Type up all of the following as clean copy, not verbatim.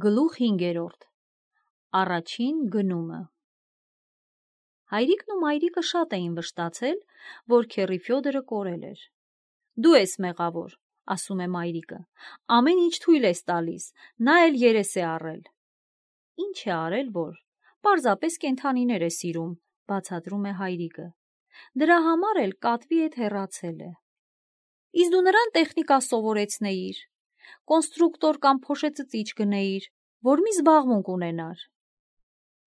Գլուխ 5. Առաջին գնումը։ Հայրիկն ու մայրիկը շատ էին վշտացել, որ քեռի Ֆյոդորը կորել էր։ Դու ես մեղավոր, ասում է մայրիկը, ամեն ինչ թույլ ես տալիս, նա էլ երես է առել։ Ինչ է արել, որ պարզապես կենդանիներ է սիրում, բացատրում է հայրիկը։ Դրա համար էլ կատվի հետ հեռացել է։ Իսկ դու նրան տեխնիկա սովորեցնեիր, կոնստրուկտոր կամ փոշեցծիչ գնեիր, որ մի զբաղմունք ունենար։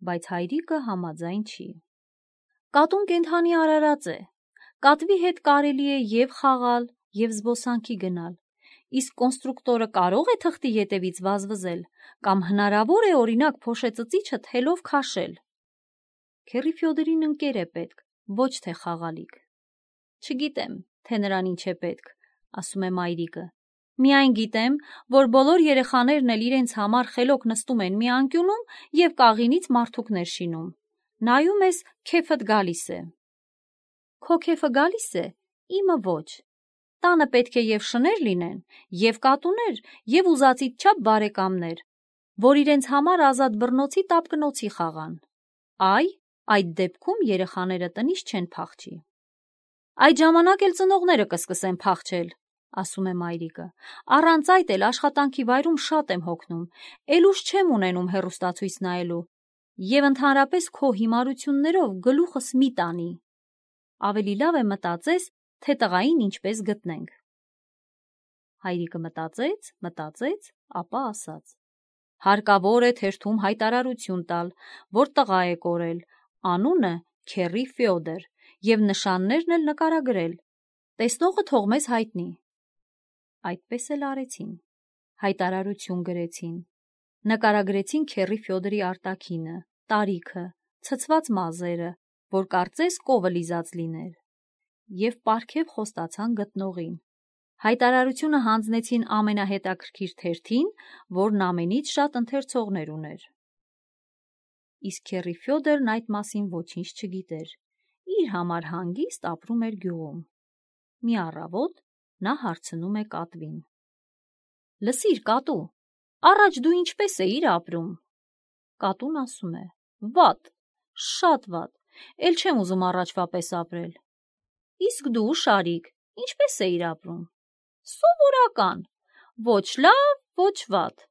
Բայց հայրիկը համաձայն չի։ Կատուն կենդանի արարած է, կատվի հետ կարելի է և խաղալ, և զբոսանքի գնալ, իսկ կոնստրուկտորը կարող է թղթի ետևից վազվզել, կամ հնարավոր է օրինակ փոշեցծիչը թելով քաշել։ Քեռի Ֆյոդորին ընկեր է պետք, ոչ թե խաղալիք։ Չգիտեմ, թե նրան ինչ է պետք, ասում է մայրիկը։ Միայն գիտեմ, որ բոլոր երեխաներն էլ իրենց համար խելոք նստում են մի անկյունում և կաղինից մարդուկներ շինում։ Նայում ես, քեֆդ գալիս է։ Քո քեֆը գալիս է, իմը ոչ։ Տանը պետք է և շներ լինեն, և կատուներ, և ուզածիդ չափ բարեկամներ, որ իրենց համար ազատ բռնոցի տապկնոցի խաղան։ Այդ դեպքում երեխաները տնից չեն փախչի։ Այդ ժամանակ էլ ծնողները կսկսեն փախչել, ասում է մայրիկը։ Առանց այդ էլ աշխատանքի վայրում շատ եմ հոգնում, էլ ուժ չեմ ունենում հեռուստացույց նայելու, և ընդհանրապես քո հիմարություններով գլուխս մի տանի։ Ավելի լավ է մտածես, թե տղային ինչպես գտնենք։ Հայրիկը մտածեց, ապա ասաց. Հարկավոր է թերթում հայտարարություն տալ, որ տղա է կորել, անունը քեռի Ֆյոդոր, և նշաններն էլ նկարագրել։ Տեսնողը թող մեզ հայտնի։ Այդպես էլ արեցին։ Հայտարարություն գրեցին։ Նկարագրեցին քեռի Ֆյոդորի արտաքինը, տարիքը, ցցված մազերը, որ կարծես կովը լիզած լիներ, և պարգև խոստացան գտնողին։ Հայտարարությունը հանձնեցին ամենահետաքրքիր թերթին, որն ամենից շատ ընթերցողներ ուներ։ Իսկ քեռի Ֆյոդորն այդ մասին ոչինչ չգիտեր, իր համար հանգիստ ապրում էր գյուղում։ Մի առավոտ նա հարցնում է կատվին. Լսիր, կատու, առաջ դու ինչպես էիր ապրում։ Կատուն ասում է. Վատ, շատ վատ, էլ չեմ ուզում առաջվա պես ապրել։ Իսկ դու, Շարիկ, ինչպես էիր ապրում։ Սովորական, ոչ լավ, ոչ վատ,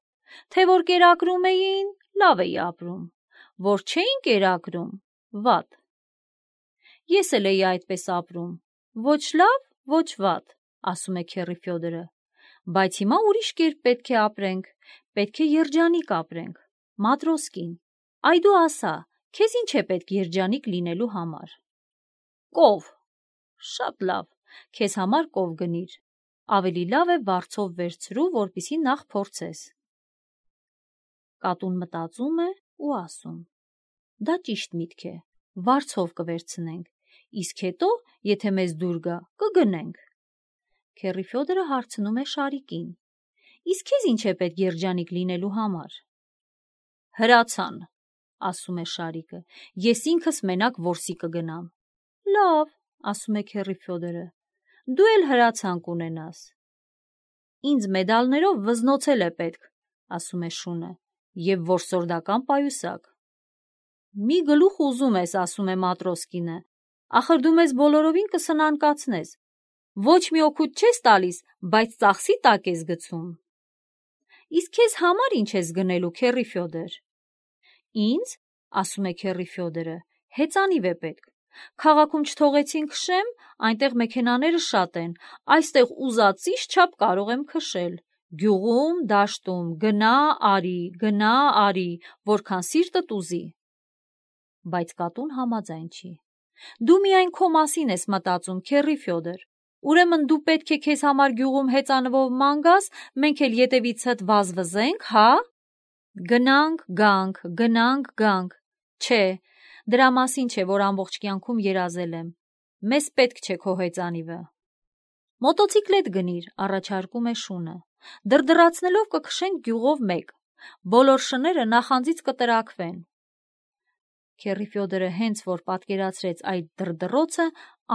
թե որ կերակրում էին, լավ էի ապրում, որ չէին կերակրում, վատ։ Ես էլ էի այդպես ապրում, ոչ լավ, ոչ վատ, ասում է քեռի Ֆյոդորը, բայց հիմա ուրիշ կերպ պետք է ապրենք, պետք է երջանիկ ապրենք, Մատրոսկին, այ դու ասա, քեզ ինչ է պետք երջանիկ լինելու համար։ Կով, շատ լավ, քեզ համար կով գնիր, ավելի լավ է վարձով վերցրու, որպեսզի նախ փորձես։ Կատուն մտածում է ու ասում. Դա ճիշտ միտք է, վարձով կվերցնենք, իսկ հետո, եթե մեզ դուր գա, կգնենք։ Քեռի Ֆյոդորը հարցնում է Շարիկին. Իսկ քեզ ինչ է պետք երջանիկ լինելու համար։ Հրացան, ասում է Շարիկը, ես ինքս մենակ որսի կգնամ։ Լավ, ասում է քեռի Ֆյոդորը, դու էլ հրացան կունենաս։ Ինձ մեդալներով վզնոցել է պետք, ասում է շունը, և որսորդական պայուսակ։ Մի գլուխ ուզում ես, ասում է Մատրոսկինը, ախր դու մեզ բոլորովին կսնանկացնես, ոչ մի օգուտ չես տալիս, բայց ծախսի տակ ես գցում։ Իսկ քեզ համար ինչ ես գնելու, քեռի Ֆյոդոր։ Ինձ, ասում է քեռի Ֆյոդորը, հեծանիվ է պետք։ Քաղաքում չթողեցին քշեմ, այնտեղ մեքենաները շատ են, այստեղ ուզածիս չափ կարող եմ քշել։ Գյուղում, դաշտում, գնա արի, որքան սիրտդ ուզի։ Բայց կատուն համաձայն չի։ Դու միայն քո մասին ես մտածում, քեռի Ֆյոդոր, ուրեմն դու պետք է քեզ համար գյուղում հեծանվով ման գաս, մենք էլ ետևիցդ վազվզենք, հա։ Գնանք, գանք, չէ, դրա մասին չէ, որ ամբողջ կյանքում երազել եմ, մեզ պետք չէ քո հեծանիվը։ Մոտոցիկլետ գնիր, առաջարկում է շունը, դրդռացնելով կքշենք գյուղով մեկ, բոլոր շները նախանձից կտրաքվեն։ Քեռի Ֆյոդորը հենց որ պատկերացրեց այդ դրդռոցը,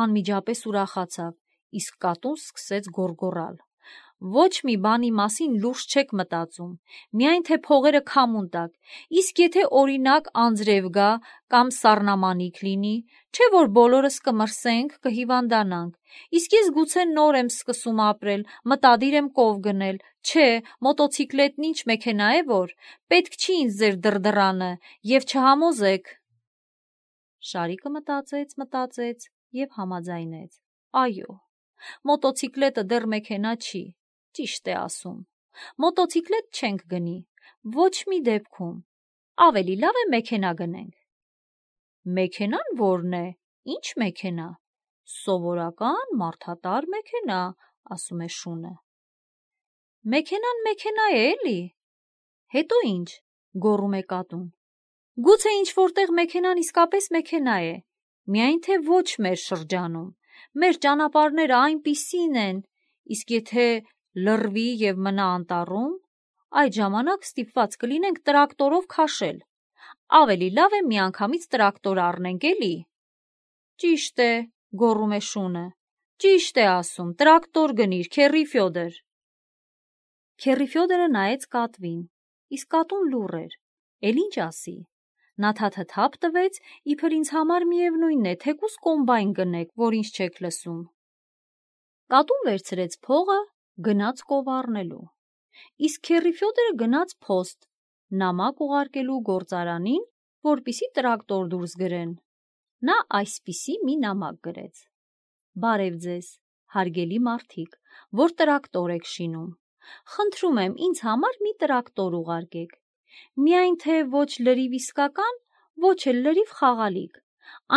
անմիջապես ուրախացավ, իսկ կատուն սկսեց գոռգոռալ. Ոչ մի բանի մասին լուրջ չեք մտածում, միայն թե փողերը քամուն տակ, իսկ եթե օրինակ անձրև գա կամ սառնամանիք լինի, չէ որ բոլորս կմրսենք, կհիվանդանանք, իսկ ես գուցե նոր եմ սկսում ապրել, մտադիր եմ կով գնել, չէ, մոտոցիկլետն ինչ մեքենա է որ, պետք չի ինձ ձեր դրդռանը և չհամոզեք։ Շարիկը մտածեց և համաձայնեց. այո, մոտոցիկլետը դեռ մեքենա չի, ճիշտ է ասում, մոտոցիկլետ չենք գնի, ոչ մի դեպքում, ավելի լավ է մեքենա գնենք։ Մեքենան որն է, ինչ մեքենա, սովորական մարդատար մեքենա, ասում է շունը։ Մեքենան մեքենա է էլի, հետո ինչ, գոռում է կատուն։ Գուցե ինչ որտեղ մեքենան իսկապես մեքենա է, միայն թե ոչ մեր շրջանում, մեր ճանապարհները այնպիսին են, իսկ եթե լռվի և մնա անտառում, այդ ժամանակ ստիպված կլինենք տրակտորով քաշել, ավելի լավ է միանգամից տրակտոր առնենք էլի։ Ճիշտ է, գոռում է շունը, ճիշտ է ասում, տրակտոր գնիր, քեռի Ֆյոդոր։ Քեռի Ֆյոդորը նայեց կատվին, իսկ կատուն լուռ էր, էլ ինչ ասի։ Նա թաթաթափ տվեց, իբր ինձ համար միևնույն է, թեկուզ կոմբայն գնեք, որ ինձ չեք լսում։ Կատուն վերցրեց փողը, գնաց կով առնելու, իսկ քեռի Ֆյոդորը գնաց փոստ, նամակ ուղարկելու գործարանին, որպեսզի տրակտոր դուրս գրեն։ Նա այսպիսի մի նամակ գրեց. Բարև ձեզ, հարգելի մարդիկ, որ տրակտոր եք շինում, խնդրում եմ ինձ համար մի տրակտոր ուղարկեք, միայն թե ոչ լրիվ իսկական, ոչ էլ լրիվ խաղալիք,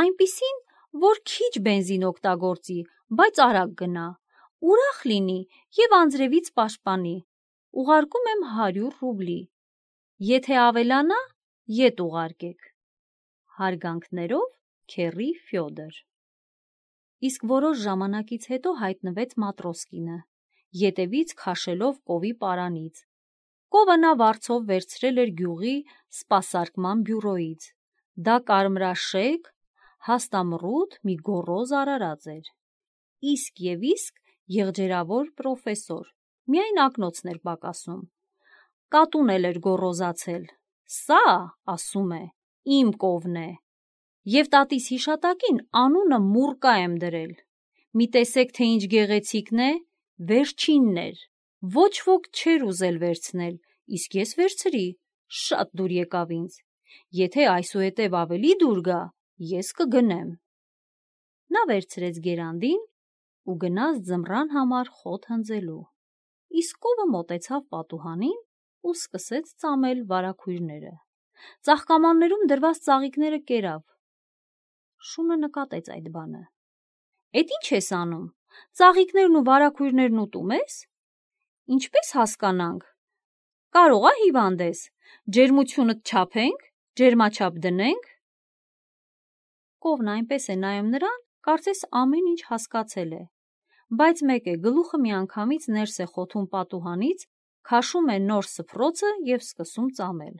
այնպիսին, որ քիչ բենզին օգտագործի, բայց արագ գնա, ուրախ լինի և անձրևից պաշտպանի, ուղարկում եմ 100 ռուբլի, եթե ավելանա, ետ ուղարկեք։ Հարգանքներով քեռի Ֆյոդոր։ Իսկ որոշ ժամանակից հետո հայտնվեց Մատրոսկինը, ետևից քաշելով կովի պարանից։ Կովը նա վարձով վերցրել էր գյուղի սպասարկման բյուրոյից, դա կարմրաշեկ, հաստամռութ մի գոռոզ արարած էր, իսկ և իսկ եղջերավոր պրոֆեսոր, միայն ակնոցն էր պակասում։ Կատուն էլ էր գոռոզացել, սա, ասում է, իմ կովն է, և տատիս հիշատակին անունը Մուրկա եմ դրել, մի տեսեք, թե ինչ գեղեցիկն է, վերջինն էր, ոչ ոք չէր ուզել վերցնել, իսկ ես վերցրի, շատ դուր եկավ ինձ, եթե այսուհետև ավելի դուր գա, ես կգնեմ։ Նա վերցրեց գերանդին ու գնաց ձմռան համար խոտ հնձելու, իսկ կովը մոտեցավ պատուհանին ու սկսեց ծամել վարագույրները, ծաղկամաններում դրված ծաղիկները կերավ։ Շունը նկատեց այդ բանը։ Էդ ինչ ես անում, ծաղիկներն ու վարագույրներն ուտում ես։ Ինչպես հասկանանք, կարող ա հիվանդ ես, ջերմությունդ չափենք, ջերմաչափ դնենք։ Կովն այնպես է նայում նրան, կարծես ամեն ինչ հասկացել է, բայց մեկ է, գլուխը միանգամից ներս է խոթում պատուհանից, քաշում է նոր սփռոցը և սկսում ծամել։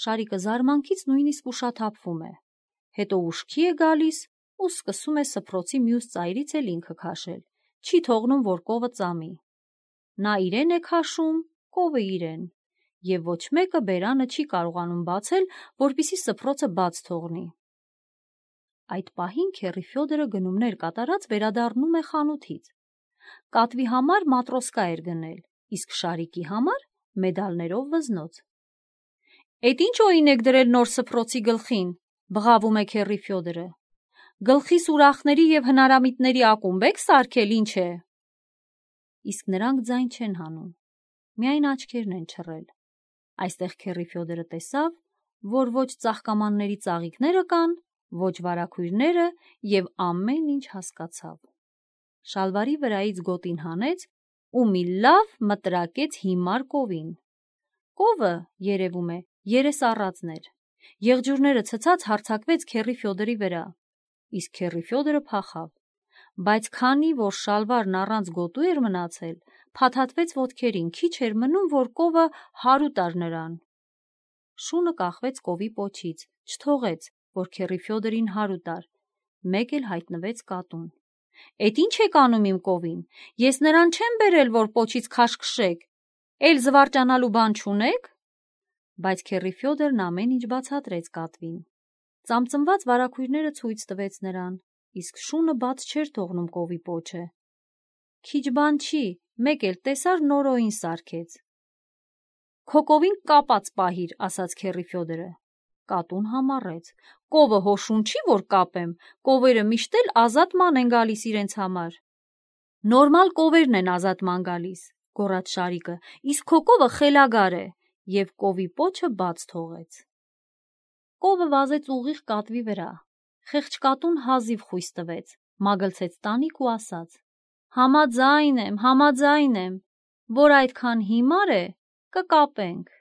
Շարիկը զարմանքից նույնիսկ ուշաթափվում է, հետո ուշքի է գալիս ու սկսում է սփռոցի մյուս ծայրից էլ ինքը քաշել, չի թողնում, որ կովը ծամի։ Նա իրեն է քաշում, կովը իրեն, և ոչ մեկը բերանը չի կարողանում բացել, որպեսզի սփռոցը բաց թողնի։ Այդ պահին քեռի Ֆյոդորը գնումներ կատարած վերադառնում է խանութից։ Կատվի համար մատրոսկա էր գնել, իսկ Շարիկի համար մեդալներով վզնոց։ Էդ ինչ օին եք դրել նոր սփռոցի գլխին, բղավում է քեռի Ֆյոդորը։ Գլխիս ուրախների և հնարամիտների ակումբ եք սարքել, ինչ է։ Իսկ նրանք ձայն չեն հանում, միայն աչքերն են չռել։ Այստեղ քեռի Ֆյոդորը տեսավ, որ ոչ ծաղկամանների ծաղիկները կան, ոչ վարագույրները և ամեն ինչ հասկացավ։ Շալվարի վրայից գոտին հանեց ու մի լավ մտրակեց հիմար կովին։ Կովը, երևում է, երես առածն էր, եղջյուրները ցցած հարձակվեց քեռի Ֆյոդորի վրա, իսկ քեռի Ֆյոդորը փախավ, բայց քանի որ շալվարն առանց գոտու էր մնացել, փաթաթվեց ոտքերին, քիչ էր մնում, որ կովը հարու տար նրան։ Շունը կախվեց կովի պոչից, չթողեց, որ քեռի Ֆյոդորին հարու տար, մեկ էլ հայտնվեց կատուն։ Էդ ինչ եք անում իմ կովին, ես նրան չեմ բերել, որ պոչից քաշքշեք, էլ զվարճանալու բան չունեք։ Բայց քեռի Ֆյոդորն ամեն ինչ բացատրեց կատվին։ Ծամծմված վարագույրները ցույց տվեց նրան, իսկ շունը բաց չէր թողնում կովի պոչը։ Քիչ բան չի, մեկ էլ տեսար նորոյին սարքեց։ Քո կովին կապած պահիր, ասաց քեռի Ֆյոդորը։ Կատուն համառեց. Կովը հոշուն չի, որ կապեմ, կովերը միշտ էլ ազատման են գալիս իրենց համար։ Նորմալ կովերն են ազատման գալիս, գոռաց Շարիկը, իսկ քո կովը խելագար է, և կովի պոչը բաց թողեց։ Կովը վազեց ուղիղ կատվի վրա։ Խեղճ կատուն հազիվ խույս տվեց, մագլցեց տանիք ու ասաց. Համաձայն եմ, որ այդքան հիմար է, կկապենք։